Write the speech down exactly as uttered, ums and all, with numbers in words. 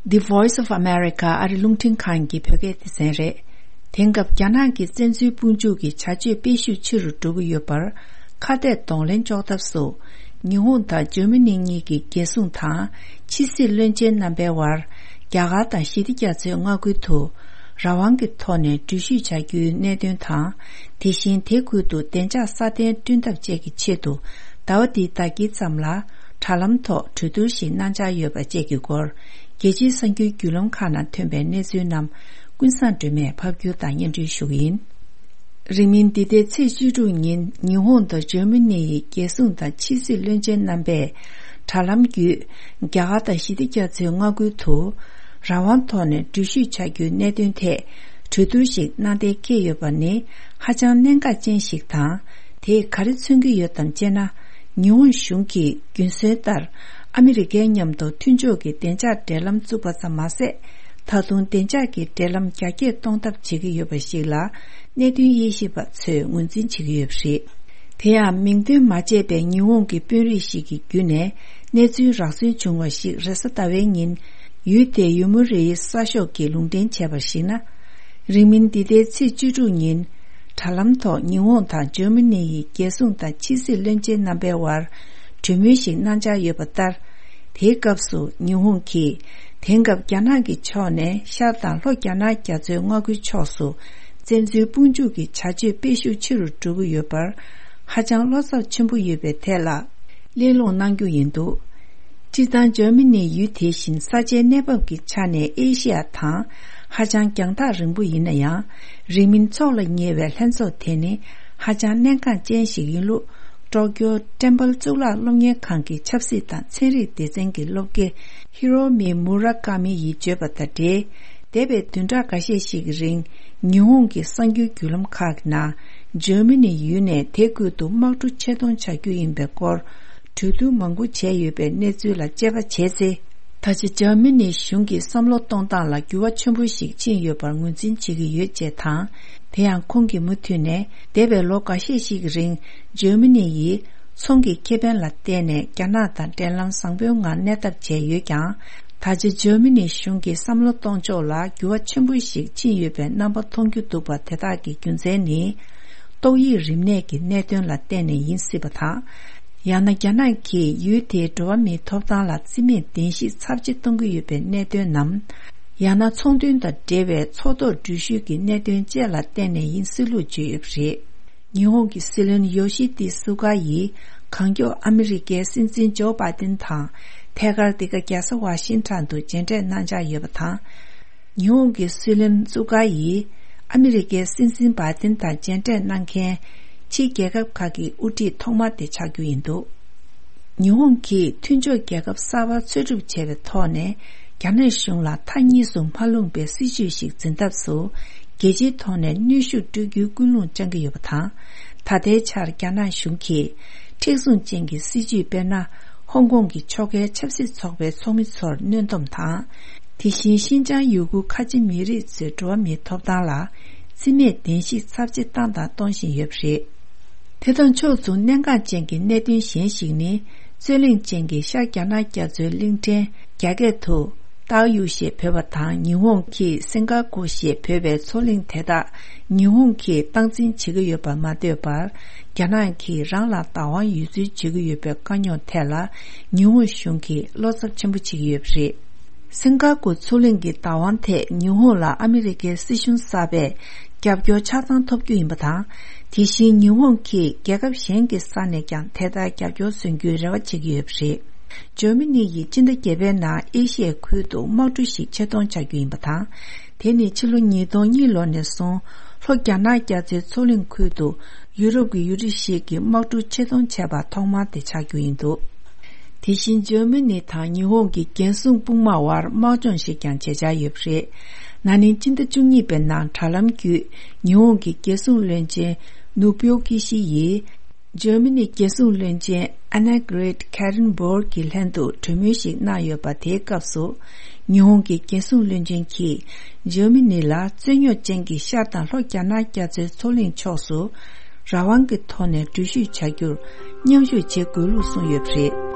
The Voice of America ཨ་རི་རླུང་འཕྲིན་ཁང་གི་བོད་སྐད་སྡེ་ཚན་རེད། དེང་སྐབས་རྒྱ་ནག་གི་བཙན་འཛུལ་དཔུང་འཇུག་གི་བྱ་སྤྱོད་སྤེལ་ཤུགས་ཆེ་རུ་འགྲོ་གི་ཡོད་པར། ཁ་གཏད་གདོང་ལེན་གཅོག་ཐབས་སུ། ཉི་ཧོང་དང་འཇར་མ་ནི་གཉིས་ཀྱི་རྒྱལ་སྲུང་དང་ཕྱི་སྲིད་བློན་ཆེན་རྣམ་པའི་དབར། རྒྱ་གར་དང་ཞི་བདེ་རྒྱ་མཚོའི་མངའ་ཁུལ་དུ་རང་དབང་གི་ཐོག་ནས་འགྲུལ་བཞུད་བྱ་རྒྱུའི་གནད་དོན་དང་། དེ་བཞིན་དེ་ཁུལ་དུ་བདེ་འཇགས་སྲ་བརྟན་བསྐྲུན་ཐབས་བཅས་ཀྱི་ཆེད་དུ། ཟླ་བ་འདིའི་ཟླ་དཀྱིལ་ཙམ་ལ་དྲ་ལམ་ཐོག་གྲོས་བསྡུར་ཞིག་གནང་འཆར་ཡོད་པ་བཅས་ཀྱི་སྐོར། རྒྱལ་སྤྱིའི་གསར་འགྱུར་བརྒྱུད་ལམ་ཁག་ནང་ཐོན་པའི་གནས་ཚུལ་རྣམས་ཀུན་བཟང་སྒྲོལ་མས་ཕབ་སྒྱུར་དང་སྙན་སྒྲོན་ཞུ་གི་ཡིན། རིང་མིན་འདི་ཟླའི་ཚེས་བཅུ་དྲུག་ཉིན་ཉི་ཧོང་དང་འཇར་མ་ནི་ཡི་རྒྱལ་སྲུང་དང་ཕྱི་སྲིད་བློན་ཆེན་རྣམ་པས་དྲ་ལམ་བརྒྱུད་རྒྱ་གར་དང་ཞི་བདེ་རྒྱ་མཚོའི་མངའ་ཁུལ་དུ་རང་དབང་ཐོག་ནས་འགྲུལ་བཞུད་བྱ་རྒྱུའི་གནད་དོན་ཐད་གྲོས་བསྡུར་ཞིག་གནང་གཏན་འཁེལ་ཡོད་པ་ནི་ཧ་ཅང་གནད་འགག་ཅན་ཞིག་དང་། དེས་ག་རེ་མཚོན་གྱི་ཡོད་དམ་ཅེ་ན། ཉི་ཧོང་གཞུང་གིས་རྒྱུན་སྲོལ་ལྟར་ཨ་མི་རི་ཀའི་མཉམ་དུ་མཐུན་ཕྱོགས་ཀྱི་བདེ་འཇགས་འབྲེལ་ལམ་བཙུགས་པ་ཙམ་མ་ཟད། ད་དུང་བདེ་འཇགས་ཀྱི་འབྲེལ་ལམ་རྒྱ་སྐྱེད་གཏོང་ཐབས་བྱེད་ཀྱི་ཡོད་པ་ཞིག་ལ་གནད་དོན་དབྱེ་ཞིབ་པ་ཚོས་ངོས་འཛིན་བྱེད་ཀྱི་ཡོད་པ་རེད། དེ་ཡང་མིང་འདོན་མ་བྱས་པའི་ཉི་ཧོང་གི་དཔོན་རིགས་ཤིག་གི་བརྒྱུད་ནས་གནས་ཚུལ་རགས་ཚུན་བྱུང་བ་ཞིག་རེས་གཟའ་ཟླ་བའི་ཉིན་ཡུལ་དེའི་ཡོ་མུ་རེའི་གསར་ཤོག་གིས་ལུང་འདྲེན་བྱས་པར་གཞིགས་ན། རིང་མིན་འདི་ཟླའི་ཚེས་བཅུ་དྲུག་ཉིན་དྲ་ལམ་ཐོག་ཉི་ཧོང་དང་འཇར་མ་ནི་ཡི་རྒྱལ་སྲུང་དང་ཕྱི་སྲིད་བློན་ཆེན་རྣམ་པའི་དབར་གྲོས་མོལ་ཞིག་གནང་འཆར་ཡོད་པ་ལྟར། དེའི་སྐབས་སུ་ཉི་ཧོང་གིས་དེང་སྐབས་རྒྱ་ནག་གི་ཕྱོགས་ནས་ཤར་དང་ལྷོ་རྒྱ་ནག་རྒྱ་མཚོའི་མངའ་ཁུལ་ཕྱོགས་སུ་བཙན་འཛུལ་དཔུང་འཇུག་གི་བྱ་སྤྱོད་སྤེལ་ཤུགས་ཆེ་རུ་འགྲོ་གི་ཡོད་པར་ཧ་ཅང་བློ་འཚབ་ཆེན་པོ་ཡོད་པའི་ཐད་ལ་གླེང་སློང་གནང་རྒྱུ་ཡིན་འདུག་སྤྱིར་བཏང་འཇར་མ་ནི་ཡུལ་དེ་བཞིན་ས་ཆའི་གནས་བབ་ཀྱི་ཆ་ནས་ཨེ་ཤེ་ཡ་དང་ཧ་ཅང་རྒྱང་ཐག་རིང་པོ་ཡིན་ན་ཡང་། རིང་མིན་འཚོགས་ལ་ཉེ་བའི་ལྷན་ཚོགས་དེ་ནི་ཧ་ཅང་གནད་འགག་ཅན་ཞིག་ཡིན་ལུགས། ཀྲོ་ཀྱོ་ཀྲེམ་པལ་གཙུག་ལག་སློབ་གཉེར་ཁང་གི་ཆབ་སྲིད་དང་ཚན་རིག་སྡེ་ཚན་གྱི་སློབ་དགེ་ཧི་རོ་མི་མུ་ར་ཀ་མི་ཡིས་བརྗོད་པ་དང་འབྲེལ། འདས་པའི་བདུན་ཕྲག་འགའ་ཤས་ཤིག་གི་རིང་ཉི་ཧོང་གི་གསར་འགྱུར་བརྒྱུད་ལམ་ཁག་གི་ནང་འཇར་མ་ནི་ཡུལ་ནས་དེ་ཁུལ་དུ་དམག་གྲུ་ཆེད་གཏོང་བྱ་རྒྱུ་ཡིན་པའི་སྐོར་གྲོས་བསྡུར་མང་པོ་བྱས་ཡོད་པའི་གནས་ཚུལ་ལ་དཔྱད་པ་བྱས་ཚེ། ད་ཆ་འཇར་མ་ནི་གཞུང་གི་བསམ་བློ་གཏོང་སྟངས་ལ་འགྱུར་བ་ཆེན་པོ་ཞིག་ཕྱིན་ཡོད་པར་ངོས་འཛིན་བྱེད་ཀྱི་ཡོད་ཅེས་དང་། དེ་ཡང་ཁོང་གིས་མུ་མཐུད་ནས་འདས་པའི་ལོ་འགའ་ཤས་ཤིག་གི་རིང་འཇར་མ་ནི་ཡིས་ཚོང་གི་ཁེ་ཕན་ལ་བརྟེན་ནས་རྒྱ་ནག་དང་འབྲེལ་ལམ་བཟང་པོའི་ངང་གནས་ཐབས་བྱས་ཡོད་ཀྱང་། ད་ཆ་འཇར་མ་ནི་གཞུང་གི་བསམ་བློ་གཏོང་ཕྱོགས་ལ་འགྱུར་བ་ཆེན་པོ་ཞིག་ཕྱིན་ཡོད་པའི་རྣམ་པ་མཐོང་རྒྱུ་འདུག་པ། དེ་དག་གི་རྒྱུ་མཚན་ནི། ཏོག་དབྱིབས་རིམས་ནད་ཀྱི་གནད་དོན་ལ་བརྟེན་ནས་ཡིན་སྲིད་པ་དང་། ཡང་ན་རྒྱ་ནག་གིས་ཡུལ་དེའི་འགྲོ་བ་མིའི་ཐོབ་ཐང་ལ་རྩིས་མེད་བདེན་བཞི་ཚབས་ཆེ་གཏོང་གི་ཡོད་པའི་གནད་དོན་ནམ། ཡང་ན་ཚོང་དོན་དང་འབྲེལ་བའི་མཚོ་ཐོག་འགྲུལ་བཞུད་ཀྱི་གནད་དོན་བཅས་ལ་བརྟེན་ནས་ཡིན་སྲིད་ལུགས་བརྗོད་ཡོད་པ་རེད། ཉི་ཧོང་གི་སྲིད་བློན་ཡོ་ཤི་ཏི་སུ་ག་ཡིས་གང་མགྱོགས་ཨ་མི་རི་ཀའི་སྲིད་འཛིན་ཇོ་བྷའི་ཏིན་དང་ཐད་ཀར་འདི་ག་རྒྱལ་ས་ཝ་ཤིང་ཊོན་དུ་མཇལ་འཕྲད་གནང་འཆར་ཡོད་པ་དང་། ཉི་ཧོང་གི་སྲིད་བློན་སུ་ག་ཡིས་ཨ་མི་རི་ཀའི་སྲིད་འཛིན་བྷའི་ཏིན་དང་མཇལ་འཕྲད་གནང་མཁན་ཕྱིའི་རྒྱལ་ཁབ་ཁག་གི་དབུ་ཁྲིད་ཐོག་མ་དེ་ཆགས་རྒྱུ་ཡིན་འདུག་ཉི་ཧོང་གིས་མཐུན་ཕྱོགས་རྒྱལ་ཁབ་གསར་པ་འཚོལ་སྒྲུབ་བྱས་པའི་ཐོག་ནས་རྒྱ་ནག་གཞུང་ལ་མཐའ་གཉིས་སུ་མ་ལྷུང་པའི་སྲིད་ཇུས་ཤིག་འཛིན་ཐབས་སུ་རྒྱལ་སྤྱིའི་ཐོག་ནས་གནོན་ཤུགས་སྤྲོད་རྒྱུའི་ཀུན་སློང་བཅངས་ཀྱི་ཡོད་པ་དང་། ད་ལྟའི་ཆར་རྒྱ་ནག་གཞུང་གིས་མཁྲེགས་བཟུང་ཅན་གྱི་སྲིད་ཇུས་དཔེར་ན། ཧོང་ཀོང་གི་ཕྱོགས་འགལ་ཆབ་སྲིད་ཚོགས་པའི་ཚོགས་མི་ཚོར་གནོན་སྡོམ་དང་། དེ་བཞིན་ཤིན་ཅང་ཡུ་གུར་ཁ་ཆེ་མི་རིགས་ཚོའི་འགྲོ་བ་མིའི་ཐོབ་ཐང་ལ་རྩིས་མེད་བདེན་བཞི་ཚབས་ཆེ་བཏང་དང་གཏོང་བཞིན་ཡོད་པ་རེད། དེ་དང་ཕྱོགས་མཚུངས་གནད་འགག་ཅན་གྱི་གནད་དོན་གཞན་ཞིག་ནི། རྩོད་གླེང་ཅན་གྱི་ཤར་རྒྱ་ནག་རྒྱ་མཚོའི་གླིང་ཕྲན་རྒྱ་སྐད་དུ་ཏའོ་ཡུ་ཞེས་འབོད་པ་དང་ཉི་ཧོང་གིས་སིང་ག་པུར་ཞེས་འབོད་པའི་མཚོ་གླིང་དེ་དག་ཉི་ཧོང་གིས་སྟངས་འཛིན་བྱེད་ཀྱི་ཡོད་པར་མ་ལྟོས་པར། རྒྱ་ནག་གིས་རང་ལ་བདག་དབང་ཡོད་ཚུལ་བརྗོད་ཀྱི་ཡོད་པའི་དཀའ་རྙོག་ཐད་ལ་ཉི་ཧོང་གཞུང་གིས་བློ་འཚབ་ཆེན་པོ་བྱེད་ཀྱི་ཡོད་པ་རེད། སིང་ག་པུར་མཚོ་གླིང་གི་བདག་དབང་ཐད་ཉི་ཧོང་ལ་ཨ་མི་རི་ཀའི་སྲིད་གཞུང་གསར་པས་རྒྱབ་སྐྱོར་ཆ་ཚང་ཐོབ་རྒྱུ་ཡིན་པ་དང་། དེ་བཞིན་ཉི་ཧོང་གིས་རྒྱལ་ཁབ་གཞན་གྱི་ས་ནས་ཀྱང་དེ་ལྟར་རྒྱབ་སྐྱོར་སོན་རྒྱུའི་རེ་བ་བྱེད་ཀྱི་ཡོད་པ་རེད། འཇར་མ་ནི་ཡིས་སྤྱི་ཟླ་བརྒྱད་པའི་ནང་ཨེ་ཤི་ཡའི་ཁུལ་དུ་དམག་གྲུ་ཞིག་ཆེད་གཏོང་བྱ་རྒྱུ་ཡིན་པ་དང་། དེ་ནི་ཕྱི་ལོ་ཉིས་སྟོང་གཉིས་ལོ་ནས་བཟུང་ལྷོ་རྒྱ་ནག་རྒྱ་མཚོའི་མཚོ་གླིང་ཁུལ་དུ་ཡུ་རོབ་ཀྱི་ཡུལ་གྲུ་ཞིག་གིས་དམག་གྲུ་ཆེད་གཏོང་བྱས་པ་ཐོག་མ་དེ་ཆགས་རྒྱུ་ཡིན་འདུག་དེ་བཞིན་འཇར་མ་ནི་དང་ཉི་ཧོང་གི་རྒྱལ་སྲུང་དཔུང་དམག་དབར་དམག་སྦྱོང་ཞིག་ཀྱང་བྱེད་འཆར་ཡོད་པ་རེད། ན་ནིང་སྤྱི་ཟླ་བཅུ་གཉིས་པའི་ནང་དྲ་ལམ་བརྒྱུད་ཉི་ཧོང་གི་རྒྱལ་སྲུང་བློན་ཆེན་ནུ་པིའོ་ཀི་ཤི་ཡིས། འཇར་མ་ནིའི་རྒྱལ་སྲུང་བློན་ཆེན་ཨ་ན་གྷི་རེཊ་ཁེ་རེན་བྷོར་གྱི་ལྷན་དུ་གྲོས་མོལ་ཞིག་གནང་ཡོད་པ། དེའི་སྐབས་སུ་ཉི་ཧོང་གི་རྒྱལ་སྲུང་བློན་ཆེན་གྱིས་འཇར་མ་ནི་ལ་རྩོད་རྙོག་ཅན་གྱི་ཤར་དང་ལྷོ་རྒྱ་ནག་རྒྱ་མཚོའི་མཚོ་གླིང་ཕྱོགས་སུ་རང་དབང་གི་ཐོག་ནས་འགྲུལ་བཞུད་བྱ་རྒྱུར་མཉམ་ཞུགས་བྱེད་དགོས་ལུགས་གསུངས་ཡོད་པ་རེད།